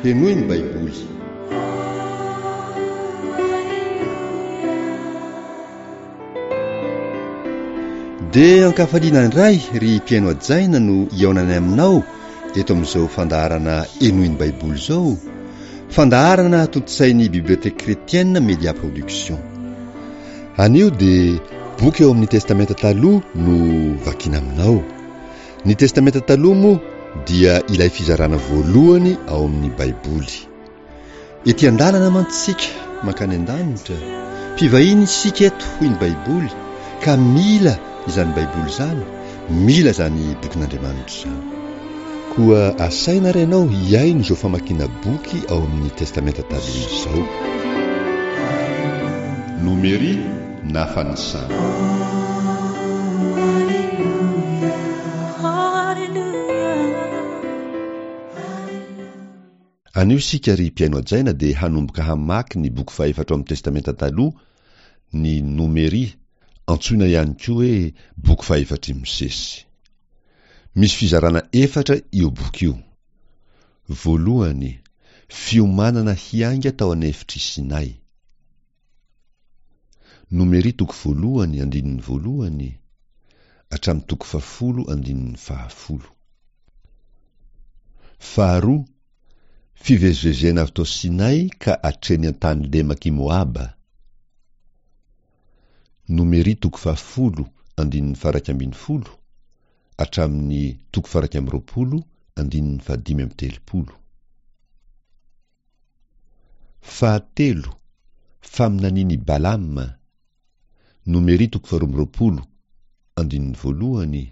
Henoy ny Baiboly. Dia ankafaliana indray ry mpihaino hajaina no hihaonanay aminao eto amin'izao fandaharana Henoy ny Baiboly izao, fandaharana tontosain'ny Bibliothèque Chrétienne Media Production. Anio dia boky ao amin'ny Testamenta Taloha no vakiana aminao. Ny Testamenta Taloha moa dia ilay fizarana voalohany ao amin'ny Baiboly. Ety an-dalana mantsy isika mankany an-danitra, mpivahiny isika eto hoy ny Baiboly ka mila izany Baiboly izany, mila izany bokin'Andriamanitra izany. Koa asaina ary ianao hihaino izao famakiana boky ao amin'ny Testamenta Taloha izao. Nomery na fanisana. Anio isika ry mpihaino hajaina dia hanomboka hamaky ny boky fahefatra ao amin'ny Testamenta Taloha, ny Nomery, antsoina ihany koa hoe boky fahefatr'i Mosesy. Misy fizarana efatra io boky io. Voalohany, fiomanana hiainga tao an'efitr'i Sinay. Nomery toko voalohany andininy voalohany hatramin'ny toko fahafolo andininy fahafolo. Faharoa, fivezivezena avy tao Sinay ka hatreny an-tany lemak'i Moaba. Nomery toko fahafolo andininy faha-11 hatramin'ny toko faha-21 andininy fahadimy amby telopolo. Fahatelo, faminanian' i Balama, Nomery toko faharoa amby roapolo, andininy voalohany,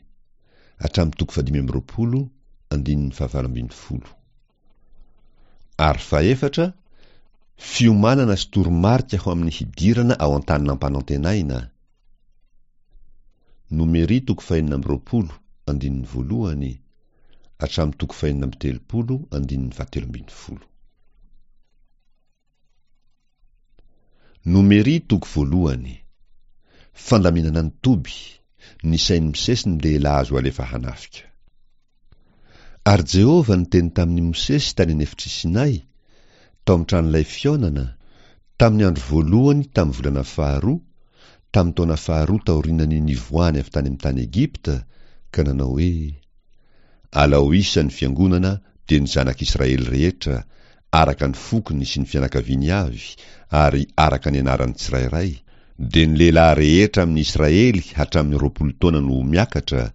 hatramin'ny toko fahadimy amby roapolo, andininy fahavalo ambin'ny folo. Ary fahefatra, fiomanana sy toromarika ho amin'ny hidirana ao an-tany nampanantenaina, Nomery toko fahenina amby roapolo, andininy voalohany, hatramin'ny toko fahenina amby telopolo andininy fahatelo ambin'ny folo. Nomery toko voalohany. Fandaminana ny toby, nisain'i Mosesy ny lehilahy azo alefa hanafika. Ary Jehovah niteny tamin'i Mosesy tany an'efitr'i Sinay, tao amin'ny tranolay fihaonana, tamin'ny andro voalohany tamin'ny volana faharoa, tamin'ny taona faharoa taorian'ny nivoahany avy tany amin'ny tany Egypta, ka nanao hoe, Alao isa ny fiangonana, dia ny zanak'Israely rehetra, araka ny fokony sy ny fianakaviany avy, ary araka ny anarany tsirairay, dia ny lehilahy rehetra amin'ny Israely hatramin'ny 20 taona no ho miakatra,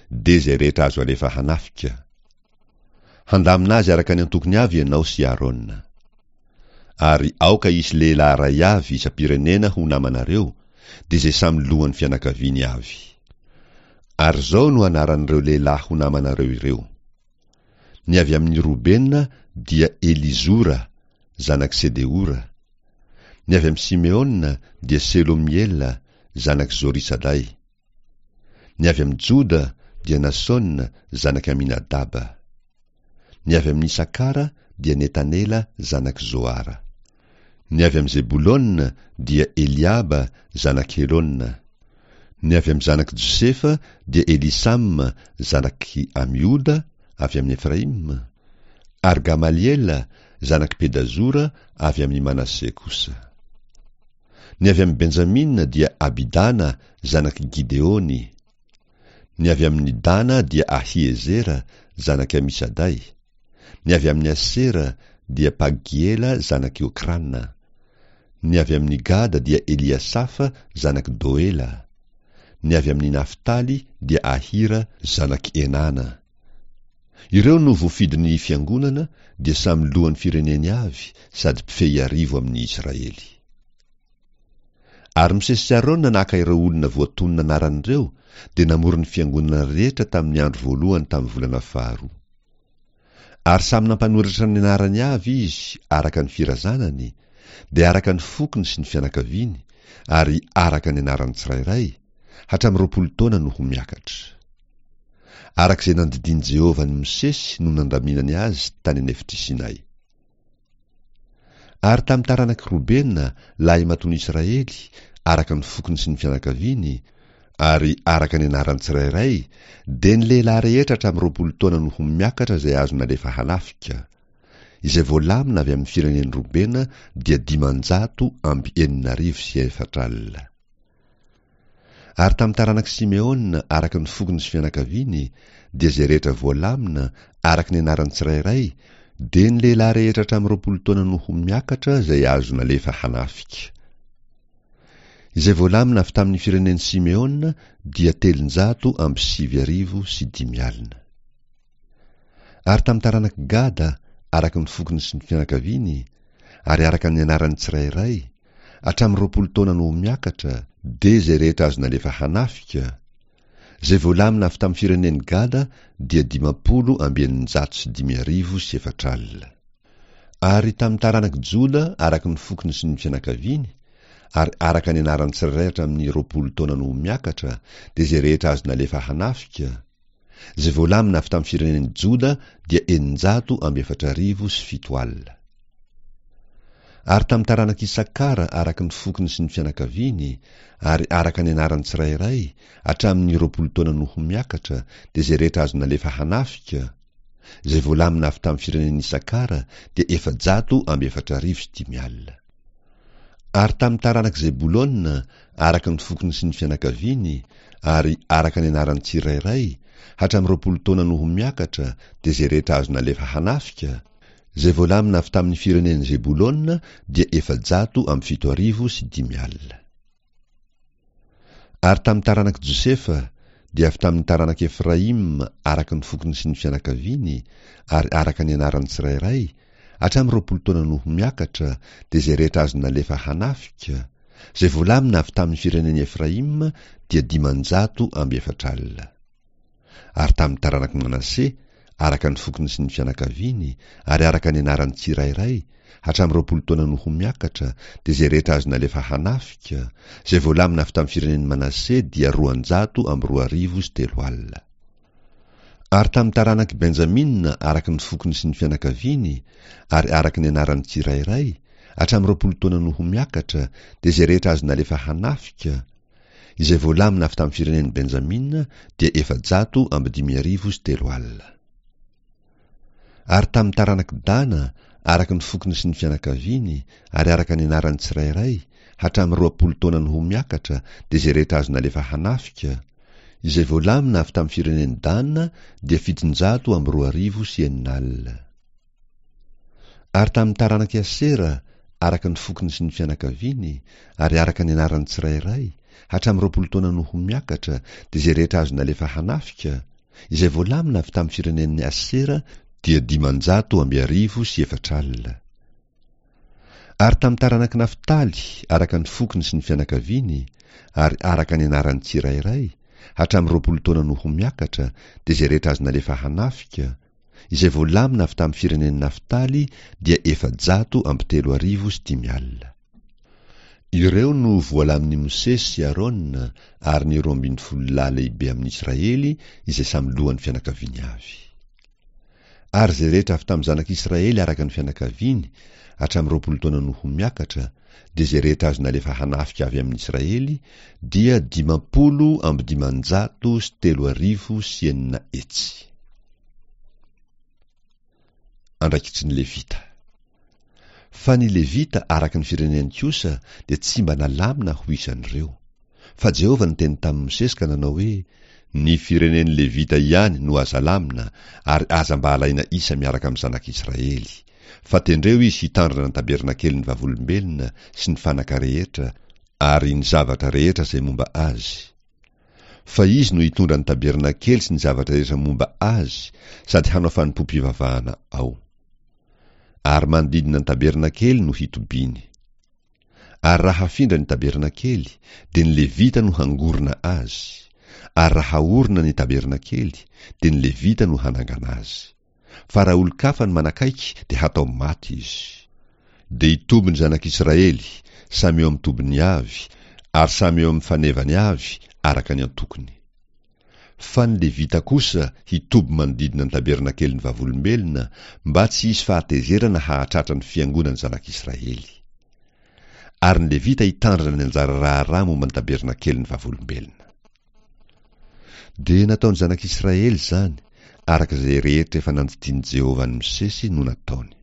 dia izay rehetra azo alefa hanafika. Handamina azy araka ny antokony avy ianao sy Arona. Ary aoka hisy lehilahy iray avy isam-pirenena ho namanareo, dia izay samy lohan'ny fianakaviany avy. Ary izao no anaran'ireo lehilahy ho namanareo ireo, Ny avy amin'i Robena dia Elizora, zanak'i Sedeora. Ny avy amin'i Simeona dia Selomiela, zanak'i Zorisaday. Ny avy amin'i Joda dia Nasona zanak'i Aminadaba. Ny avy amin'i Isakara dia Netanela zanak'i Zoara. Ny avy amin'i Zebolona dia Eliaba zanak'i Helona. Ny avy amin'ny zanak'i Josefa dia Elisama zanak'i Amioda avy amin'i Efraima, ary Gamaliela zanak'i Pedazora avy amin'i Manase kosa. Ny avy amin'i Benjamina dia Abidana zanak'i Gideony. Ny avy amin'i Dana dia Ahiezera zanak'i Amisaday. Ny avy amin'i Asera dia Pagiela zanak'i Okrana. Ny avy amin'i Gada dia Eliasafa zanak'i Doela. Ny avy amin'i Naftaly dia Ahira zanak'i Enana. Ireo no voafidin'ny fiangonana dia samy lohan'ny fireneny avy sady mpifehy arivo amin'ny Israely. Ary Mosesy sy Arona naka ireo olona voatonona anarana ireo dia namory ny fiangonana rehetra tamin'ny andro voalohany tamin'ny volana faharoa. Ary samy nampanoratra ny anarany avy izy araka ny firazanany, dia araka ny fokony sy ny fianakaviany, ary araka ny anarany tsirairay, hatramin'ny 20 taona no ho miakatra. Araka izay nandidian'i Jehovah an'i Mosesy no nandaminany azy tany an'efitr'i Sinay. Ary tamin'ny taranak'i Robena, lahimatoan'i Israely, araka ny fokony sy ny fianakaviany, ary araka ny anarany tsirairay, dia ny lehilahy rehetra hatramin'ny 20 taona no ho miakatra izay azo nalefa hanafika. Izay voalamina avy amin'ny firenen'i Robena dia 460. Ary tamin'ny taranak'i Simeona araka ny fokony sy fianakaviany, dia izay rehetra voalamina, araka ny anarany tsirairay, dia ny lehilahy rehetra hatramin'ny 20 taona no ho miakatra izay azo nalefa hanafika. Izay voalamina avy tamin'ny firenen'i Simeona dia 509 50. Ary tamin'ny taranak'i Gada, araka ny fokony sy ny fianakaviany, ary araka ny anarany tsirairay, hatramin'ny 20 taona no ho miakatra, dia izay rehetra azo nalefa hanafika, izay voalamina avy tamin'ny firenen'i Gada dia 450 400. Ary tamin'ny taranak'i Joda araka ny fokony sy ny fianakaviany, ary araka ny anarany tsirairay hatramin'ny 20 taona no ho miakatra, dia izay rehetra azo nalefa hanafika, izay voalamina avy tamin'ny firenen'i Joda dia 704 700. Ary tamin'ny taranak'i Isakara araka ny fokony sy ny fianakaviany, ary araka ny anarany tsirairay, hatramin'ny 20 taona no ho miakatra, dia izay rehetra azo nalefa hanafika, izay voalamina avy tamin'ny firenen'i Isakara dia 404 500. Ary tamin'ny taranak'i Zebolona, araka ny fokony sy ny fianakaviany, ary araka ny anarany tsirairay, hatramin'ny 20 taona no ho miakatra, dia izay rehetra azo nalefa hanafika, izay voalamina avy tamin'ny firenen'i Zebolona dia 704 500. Ary tamin'ny taranak'i Josefa, dia avy tamin'ny taranak'i Efraima araka ny fokony sy ny fianakaviany, ary araka ny anarany tsirairay, hatramin'ny 20 taona no ho miakatra, dia izay rehetra azo nalefa hanafika, izay voalamina avy tamin'ny firenen'i Efraima dia 440. Ary tamin'ny taranak'i Manase, araka ny fokony sy ny fianakaviany, ary araka ny anarany tsirairay, hatramin'ny 20 taona no ho miakatra, dia izay rehetra azo nalefa hanafika, izay voalamina avy tamin'ny firenen'i Manase dia 202 300. Ary tamin'ny taranak'i Benjamina, araka ny fokony sy ny fianakaviany, ary araka ny anarany tsirairay, hatramin'ny 20 taona no ho miakatra, dia izay rehetra azo nalefa hanafika, izay voalamina avy tamin'ny firenen'i Benjamina dia 304 300. Ary tamin'ny taranak'i Dana, araka ny fokony sy ny fianakaviany, ary araka ny anarany tsirairay, hatramin'ny 20 taona no ho miakatra, dia izay rehetra azo nalefa hanafika, izay voalamina avy tamin'ny firenen'i Dana dia 602 600. Ary tamin'ny taranak'i Asera, araka ny fokony sy ny fianakaviany, ary araka ny anarany tsirairay, hatramin'ny 20 taona no ho miakatra, dia izay rehetra azo nalefa hanafika, izay voalamina avy tamin'ny firenen'i Asera dia 450 400. Ary tamin'ny taranak'i Naftaly, araka ny fokony sy ny fianakaviany, ary araka ny anarany tsirairay, hatramin'ny 20 taona no ho miakatra, dia izay rehetra azo nalefa hanafika, izay voalamina avy tamin'ny firenen'i Naftaly dia 304 500. Ireo no voalamin'i Mosesy sy Arona ary ny 12 lahy lehibe amin'Israely izay samy lohan'ny fianakaviany avy. Ary izay rehetra avy tamin'ny zanak'Israely araka ny fianakaviany, hatramin'ny 20 taona no ho miakatra, dia izay rehetra azo nalefa hanafika avy amin'Israely dia 650 600. Andraikitry ny Levita. Fa ny Levita araka ny fireneny kosa dia tsy mba nalamina ho isan'ireo. Fa Jehovah niteny tamin'i Mosesy ka nanao hoe, Ny firenen'ny Levita ihany no aza alamina, ary aza mba alaina isa miaraka amin'ny zanak'Israely. Fa tendreo izy hitandrina ny tabernakelin'ny vavolombelona sy ny fanaka rehetra ary ny zavatra rehetra izay momba azy. Fa izy no hitondra ny tabernakely sy ny zavatra rehetra momba azy sady hanao fanompoam-pivavahana ao. Ary manodidina ny tabernakely no hitobiany. Ary raha hafindra ny tabernakely, dia ny Levita no hangorona azy, ary raha haorina ny tabernakely, dia ny Levita no hanangana azy. Fa raha olon-kafa no manakaiky, dia hatao maty izy. Dia hitoby ny zanak'Israely, samy eo amin'ny tobiny avy, ary samy eo amin'ny fanevany avy, araka ny antokony. Fa ny Levita kosa hitoby manodidina ny tabernakelin'ny Vavolombelona, mba tsy hisy fahatezerana hahatratra ny fiangonan'ny zanak'Israely. Ary ny Levita hitandrina ny anjara raharaha momba ny tabernakelin'ny Vavolombelona. Dia nataon'ny zanak'Israely izany, araka izay rehetra efa nandidian'i Jehovah an'i Mosesy no nataony.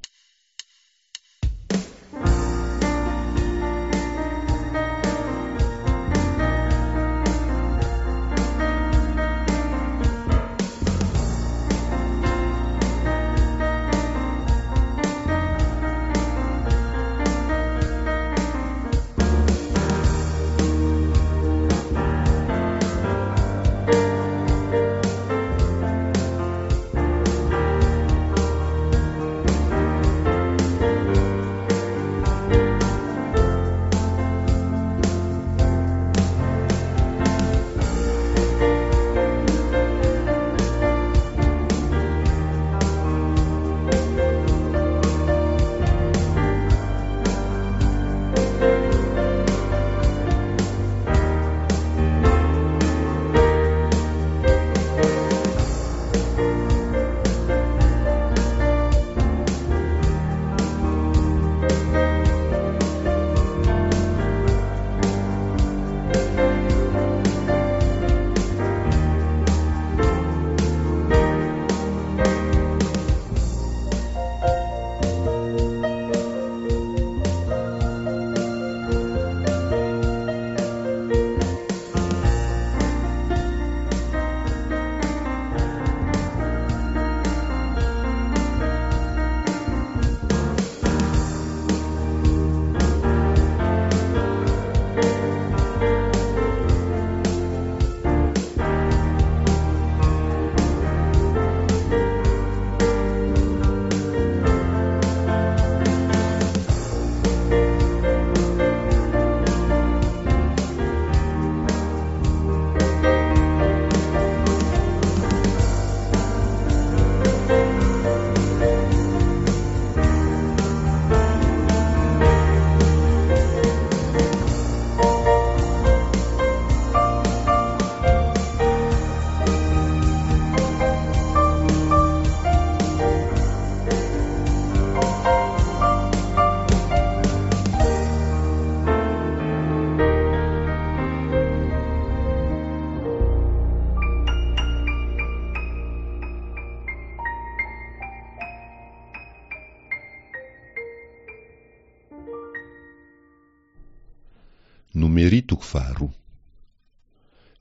Nomery toko faharoa.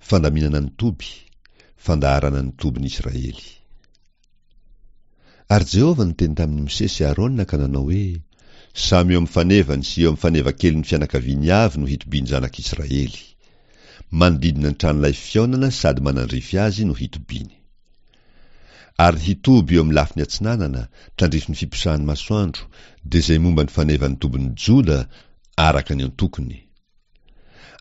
Fandaminana ny toby, fandaharana ny tobin'i Israely. Ary Jehovah niteny tamin'i Mosesy sy Arona ka nanao hoe, Samy eo amin'ny fanevany sy eo amin'ny fanevakelin'ny fianakaviany avy no hitobian'ny zanak'Israely. Manodidina ny tranolay fihaonana sady manandrify azy no hitobiany. Ary hitoby eo amin'ny lafiny atsinanana, tandrifin'ny fiposahan'ny masoandro, dia izay momba ny fanevan'ny tobin'i Joda, araka ny antokony.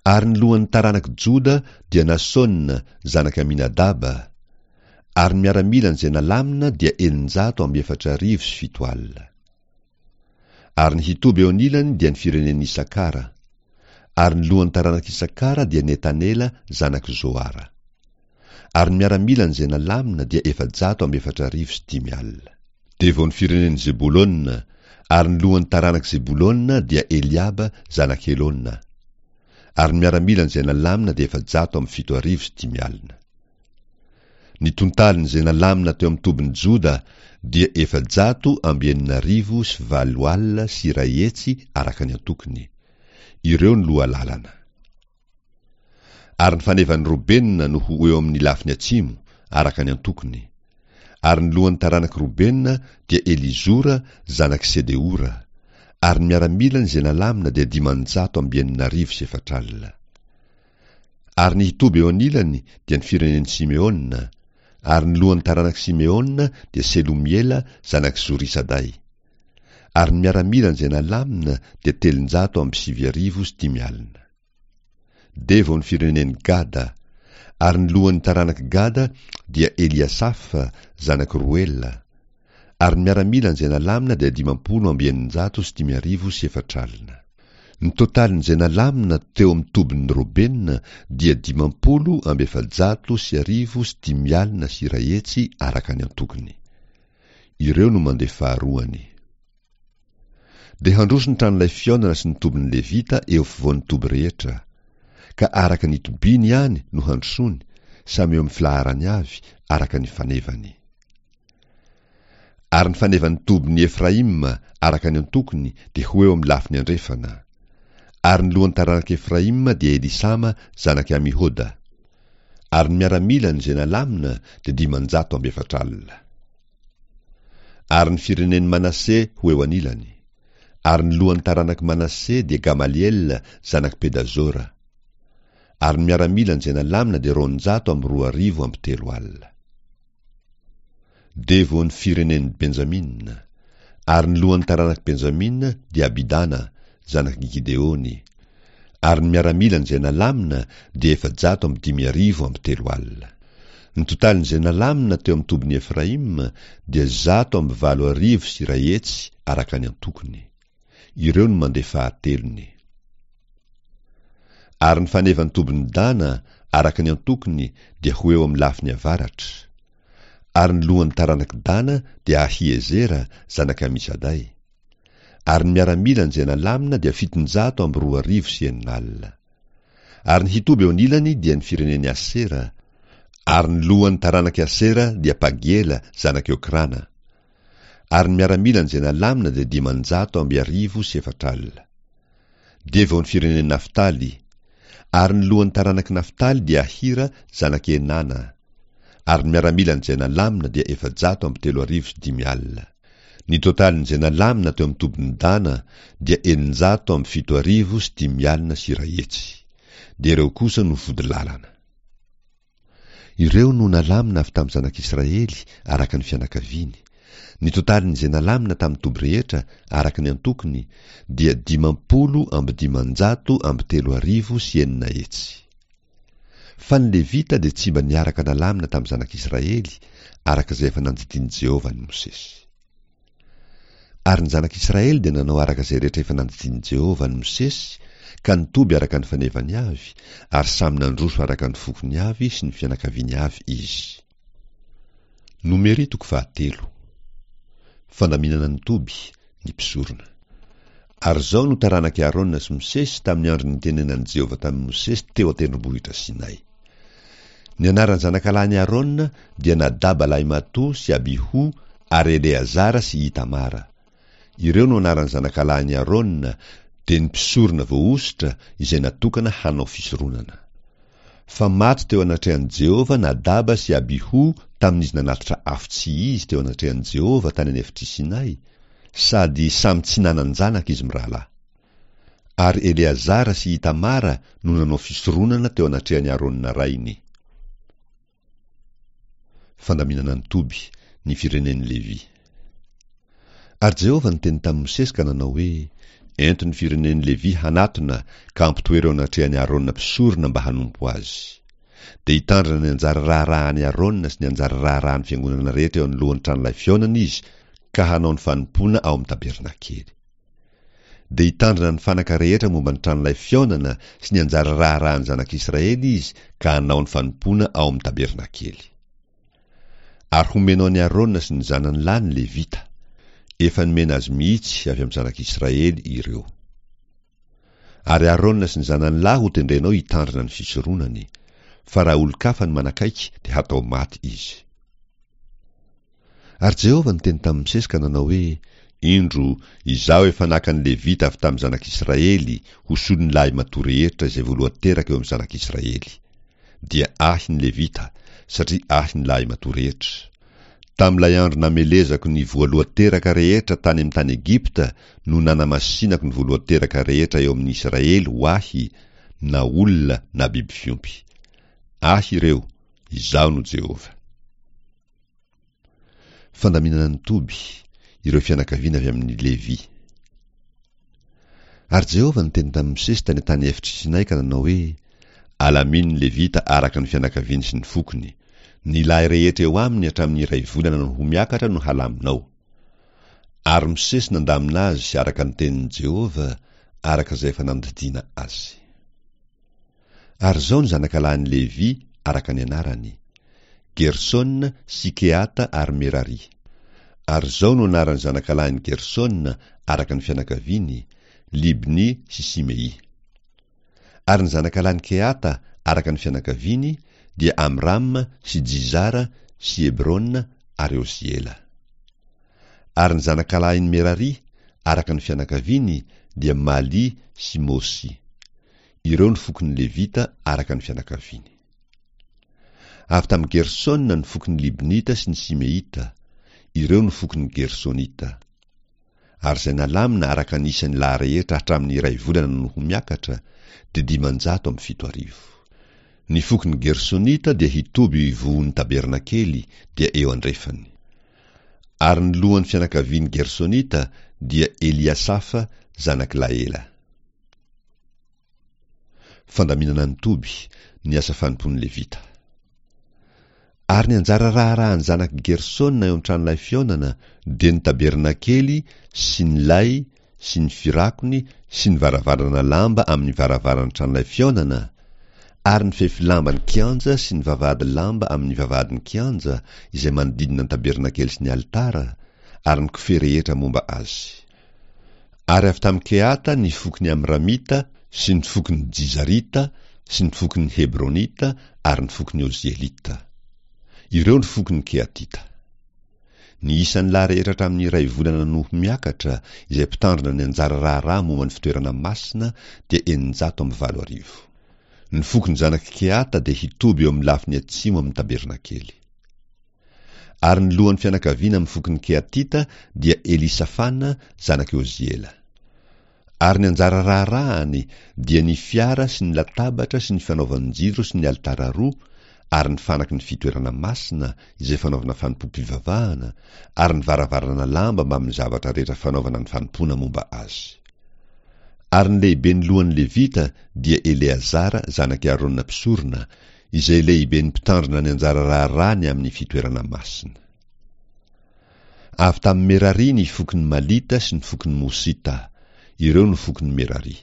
Ary ny lohan'ny taranak'i Joda dia Nasôna, zanak'i Aminadaba. Ary ny miaramilany izay nalamina dia 4700. Ary ny hitoby eo anilany dia ny firenen'i Isakara. Ary ny lohan'ny taranak'i Isakara dia Netanela zanak'i Zoara. Ary ny miaramilany izay nalamina dia 5400. Dia vao ny firenen'i Zebolona, ary ny lohan'ny taranak'i Zebolona dia Eliaba zanak'i Helona. Ary ny miaramilany izay nalamina dia 4700. Ny tontalin'izay nalamina teo amin'ny tobin'i Joda dia 6100 araka ny antokony. Ireo no lohalalana. Ary ny fanevan'i Robena no ho eo amin'ny lafiny atsimo, araka ny antokony. Ary ny lohan'ny taranak'i Robena dia Elizora zanak'i Sedeora. Ary ny miaramilany izay nalamina dia 460. Ary ny hitoby eo anilany dia ny firenen'i Simeona, ary ny lohan'ny taranak'i Simeona dia Selomiela zanak'i Zorisaday. Ary ny miaramilany izay nalamina dia 50 390. Dia vao ny firenen'i Gada, ary ny lohan'ny taranak'i Gada dia Eliasafa zanak'i Roela. Ary ny miaramilany izay nalamina dia 450 400. Ny totalin'izay nalamina teo amin'ny tobin'ny Robena dia 150 150 araka ny antokony. Ireo no mandeha faharoany. Dia handroso ny tranolay fihaonana sy ny tobin'ny Levita eo afovoan'ny toby rehetra. Ka araka ny tobiany ihany no handrosoany, samy eo amin'ny filaharany avy, araka ny fanevany. Ary ny fanevan'ny tobin'i Efraima araka ny antokony dia ho eo amin'ny lafiny andrefana. Ary ny lohan'ny taranak'i Efraima dia Elisama zanak'i Amihoda. Ary ny miaramilany izay nalamina dia 440. Ary ny firenen'i Manase ho eo anilany. Ary ny lohan'ny taranak'i Manase dia Gamaliela zanak'i Pedazora. Ary ny miaramilany izay nalamina dia 220 300. Dia vao ny firenen'i Benjamina. Ary ny lohan'ny taranak'i Benjamina dia Abidana, zanak'i Gideony. Ary ny miaramilany izay nalamina dia 350 300. Ny totalin'izay nalamina teo amin'ny tobin'i Efraima dia 1008 100 araka ny antokony. Ireo no mandeha fahatelony. Ary ny fanevan'ny tobin'i Dana araka ny antokony dia ho eo amin'ny lafiny avaratra. Ary ny lohan'ny taranak'i Dana dia Ahiezera zanak'i Amisaday. Ary ny miaramilany izay nalamina dia 602 600. Ary ny hitoby eo anilany dia ny firenen'i Asera, ary ny lohan'ny taranak'i Asera dia Pagiela zanak'i Okrana. Ary ny miaramilany izay nalamina dia 450 400. Dia vao ny firenen'i Naftaly. Ary ny lohan'ny taranak'i Naftaly dia Ahira zanak'i Enana. Ary ny miaramilany izay nalamina dia 403 500. Ny totalin'izay nalamina teo amin'ny tobin'i Dana dia 607 500. Dia ireo kosa no vodilalana. Ireo no nalamina avy tamin'ny zanak'Israely araka ny fianakaviany. Ny totalin'izay nalamina tamin'ny toby rehetra araka ny antokony dia 650 600. Fa ny Levita dia tsy mba niaraka nalamina tamin'ny zanak'Israely araka izay efa nandidian'i Jehovah an'i Mosesy. Ary ny zanak'Israely dia nanao araka izay rehetra efa nandidian'i Jehovah an'i Mosesy, ka nitoby araka ny fanevany avy, ary samy nandroso araka ny fokony avy sy ny fianakaviany avy izy. Nomery toko fahatelo. Fandaminana ny toby, ny mpisorona. Ary izao no taranak'i Arona sy Mosesy tamin'ny andro nitenenan'i Jehovah tamin'i Mosesy teo an-tendrombohitra Sinay. Ny anaran'ny zanakalahin'i Arona dia Nadaba lahimatoa sy Abihu ary Eleazara sy Itamara. Ireo no anaran'ny zanakalahin'i Arona, Dia ny mpisorona voahosotra izay natokana hanao fisoronana. Fa maty teo anatrehan'i Jehovah Nadaba sy Abihu tamin'izy nanatitra afo tsy izy teo anatrehan'i Jehovah tany an'efitr'i Sinay, sady samy tsy nanan-janaka izy mirahalahy. Ary Eleazara sy Itamara no nanao fisoronana teo anatrehan'i Arona rainy. Fandaminana ny toby, ny firenen'i Levy. Ary Jehovah niteny tamin'i Mosesy ka nanao hoe, Ento ny firenen'i Levy hanatona ka ampitoero eo anatrehan'i Arona mpisorona mba hanompo azy. Dia hitandrina ny anjara raharahan'i Arona sy ny anjara raharahan'ny fiangonana rehetra eo anoloan'ny tranolay fihaonana izy ka hanao ny fanompoana ao amin'ny tabernakely. Dia hitandrina ny fanaka rehetra momba ny tranolay fihaonana sy ny anjara raharahan'ny zanak'Israely izy ka hanao ny fanompoana ao amin'ny tabernakely. Ary homenao an'i Arona sy ny zanany lahy ny Levita. Efa nomena azy mihitsy avy amin'ny zanak'Israely ireo. Ary Arona sy ny zanany lahy hotendrenao hitandrina ny fisoronany, fa raha olon-kafa no manakaiky dia hatao maty izy. Ary Jehovah niteny tamin'i Mosesy ka nanao hoe, Indro, Izaho efa naka ny Levita avy tamin'ny zanak'Israely ho solon'ny lahimatoa rehetra izay voalohan-teraka eo amin'ny zanak'Israely. Dia Ahy ny Levita, satria Ahy ny lahimatoa rehetra. Tamin'ilay andro namelezako ny voalohan-teraka rehetra tany amin'ny tany Egypta no nanamasinako ny voalohan-teraka rehetra eo amin'ny Israely ho Ahy, na olona na biby fiompy. Ahy ireo, Izaho no Jehovah. Fandaminana ny toby, ireo fianakaviana avy amin'i Levy. Ary Jehovah niteny tamin'i Mosesy tany an-tany efitr'i Sinay ka nanao hoe, Alamino ny Levita araka ny fianakaviany sy ny fokony. Ny lahy rehetra eo aminy hatramin'ny iray volana no ho miakatra no halaminao. Ary Mosesy nandamina azy araka ny tenin'i Jehovah, araka izay efa nandidiana azy. Ary izao ny zanakalahin'i Levy araka ny anarany, Gersona sy Kehata ary Merary. Ary izao no anaran'ny zanakalahin'i Gersona araka ny fianakaviany, Libny sy Simey. Ary ny zanakalahin'i Kehata araka ny fianakaviany dia Amrama sy Jizara sy Hebrona ary Oziela. Ary ny zanakalahin'i Merary araka ny fianakaviany dia Maly sy Mosy. Ireo ny fokon'ny Levita araka ny fianakaviany. Avy tamin'i Gersona ny fokon'ny Libnita sy ny Simeita. Ireo no fokon'ny Gersonita. Ary izay nalamina araka ny isan'ny lahy rehetra hatramin'ny iray volana no ho miakatra, dia 7500. Ny fokon'ny Gersonita dia hitoby eo ivohon'ny tabernakely, dia eo andrefany. Ary ny lohan'ny fianakavian'ny Gersonita dia Eliasafa zanak'i Laela. Fandaminana ny toby, ny asa fanompoan'ny Levita. Ary ny anjara raharahan'ny zanak'i Gersona eo an-tranolay fihaonana dia ny tabernakely sy ny lay sy ny firakony sy ny varavarana lamba amin'ny varavaran'ny tranolay fihaonana, ary ny fefy lamban'ny kianja sy ny vavahady lamba amin'ny vavahadin'ny kianja izay manodidina ny tabernakely sy ny alitara, ary ny kofehy rehetra momba azy. Ary avy tamin'i Kehata ny fokon'ny Amramita sy ny fokon'ny Jizarita sy ny fokon'ny Hebronita ary ny fokon'ny Ozielita. Ireo ny fokon'ny Kehatita. Ny isan'ny lahy rehetra hatramin'ny iray volana no ho miakatra, izay mpitandrina ny anjara raharaha momba ny fitoerana masina, dia 8600. Ny fokon'ny zanak'i Kehata dia hitoby eo amin'ny lafiny atsimo amin'ny tabernakely. Ary ny lohan'ny fianakaviana amin'ny fokon'ny Kehatita dia Elisafana zanak'i Oziela. Ary ny anjara raharahany dia ny fiara sy ny latabatra sy ny fanaovan-jiro sy ny alitara roa ary ny fanaky ny fitoerana masina izay fanaovana fanompoam-pivavahana ary ny varavarana lamba mbamin'ny zavatra rehetra fanaovana ny fanompoana momba azy. Ary ny lehiben'ny lohan'ny Levita dia Eleazara zanak'i Arona mpisorona, izay lehiben'ny mpitandrina ny anjara raharaha ny amin'ny fitoerana masina. Avy tamin'i Merary ny fokon'ny Malita sy ny fokon'ny Mosita, ireo no fokon'i Merary.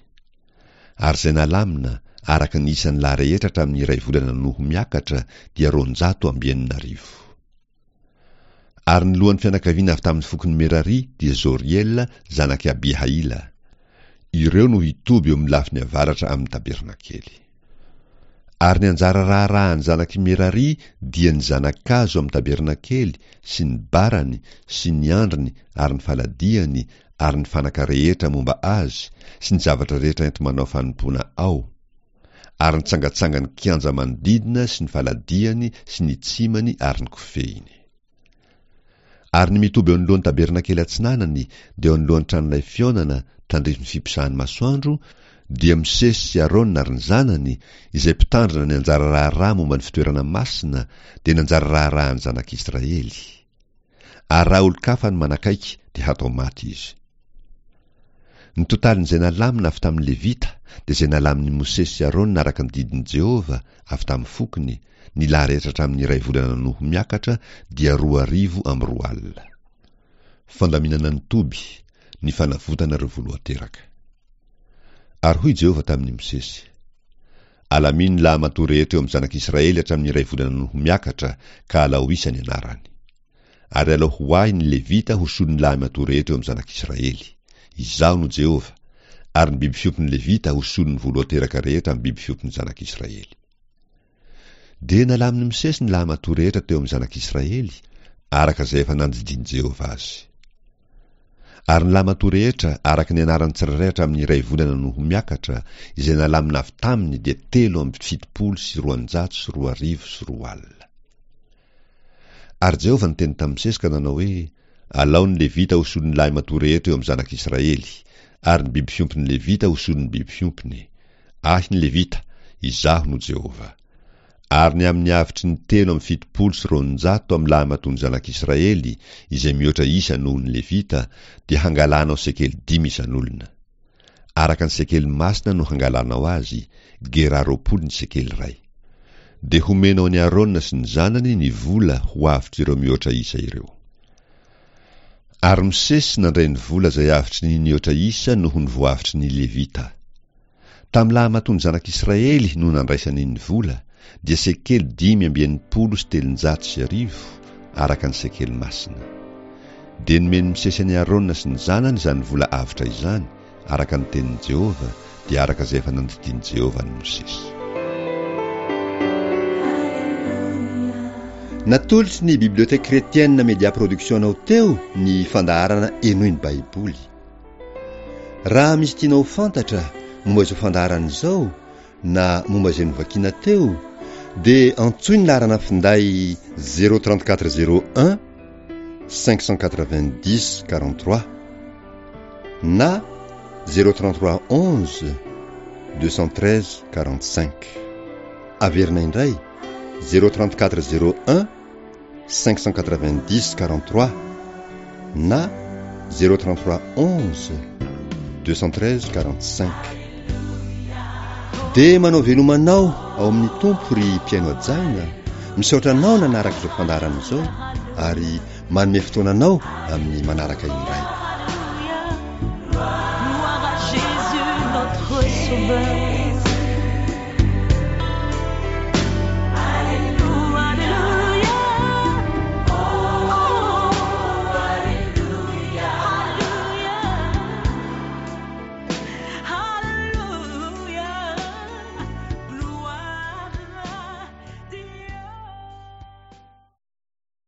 Ary izay nalamina, araka ny isan'ny lahy rehetra hatramin'ny iray volana no ho miakatra, dia 6200. Ary ny lohan'ny fianakaviana avy tamin'ny fokon'i Merary dia Zoriela zanak'i Abihaila. Ireo no hitoby eo amin'ny lafiny avaratra amin'ny tabernakely. Ary ny anjara raharahan'ny zanak'i Merari dia ny zana-kazo amin'ny tabernakely sy ny barany sy ny andriny ary ny faladiany ary ny fanaka rehetra momba azy sy ny zavatra rehetra enti-manao fanompoana ao, ary ny tsangatsangan'ny kianja manodidina sy ny faladiany sy ny tsimany ary ny kofehiny. Ary ny mitoby eo anoloan'ny tabernakely atsinanany, dia eo anoloan'ny tranolay fihaonana, tandrifin'ny fiposahan'ny masoandro, dia Mosesy sy Arona ary ny zanany, izay mpitandrina ny anjara raharaha momba ny fitoerana masina, dia ny anjara raharahan'ny zanak'Israely. Ary raha olon-kafa no manakaiky, dia hatao maty izy. Ny totalin'izay nalamina avy tamin'ny Levita dia izay nalamin'i Mosesy sy Arona araka ny didin'i Jehovah avy tamin'ny fokony, ny lahy rehetra hatramin'ny iray volana noho miakatra dia 2002. Fandaminana ny toby, ny fanavotana ireo voalohan-teraka. Ary hoy Jehovah tamin'i Mosesy, Alamino ny lahimatoa rehetra eo amin'ny zanak'Israely hatramin'ny iray volana noho miakatra, ka alao isa ny anarany. Ary alao ho ahy ny Levita ho solon'ny lahimatoa rehetra eo amin'ny zanak'Israely. Izaho no Jehovah. Ary ny biby fiompin'ny Levita ho solon'ny voalohan-teraka rehetra amin'ny biby fiompin'ny zanak'Israely. Dia nalamin'i Mosesy ny lahimatoa rehetra teo amin'ny zanak'Israely, araka izay efa nandidian'i Jehovah azy. Ary ny lahimatoa rehetra, araka ny anarany tsirairay hatramin'ny iray volana no ho miakatra, izay nalamina avy taminy dia 2073 20. Ary Jehovah niteny tamin'i Mosesy ka nanao hoe, Alao ny Levita ho solon'ny lahimatoa rehetra eo amin'ny zanak'Israely, ary ny biby fiompin'ny Levita ho solon'ny biby fiompiny. Ahy ny Levita, Izaho no Jehovah. Ary ny amin'ny avotry ny 273 amin'ny lahimatoan'ny zanak'Israely, izay mihoatra isa noho ny Levita, dia hangalanao sekely dimy isan'olona. Araka ny sekely masina no hangalanao azy, gerà 20 ny sekely iray. Dia homenao an'i Arona sy ny zanany ny vola ho avotr'ireo mihoatra isa ireo. Ary Mosesy nandray ny vola izay avotry ny nihoatra isa noho ny voavotry ny Levita. Tamin'ny lahimatoan'ny zanak'Israely no nandraisany ny vola, dia sekely 1365, araka ny sekely masina. Dia nomen'i Mosesy an'i Arona sy ny zanany izany vola avotra izany, araka ny tenin'i Jehovah, dia araka izay efa nandidian'i Jehovah an'i Mosesy. Natolotry ny Bibliothèque Chrétienne Media Production anao teo ny fandaharana Henoy ny Baiboly. Raha misy tianao ho fantatra momba izao fandaharana izao na momba izay novakiana teo dia antsoy ny laharana finday 034 01 590 43 na 033 11 213 45. Averina indray 034 01 590 43 na 033 11 213 45. Dia manao veloma anao ao amin'ny Tompo ry mpihaino hajaina, misaotra anao nanaraka izao fandaharana izao ary manome fotoana anao amin'ny manaraka indray. Gloire à Jésus notre sauveur.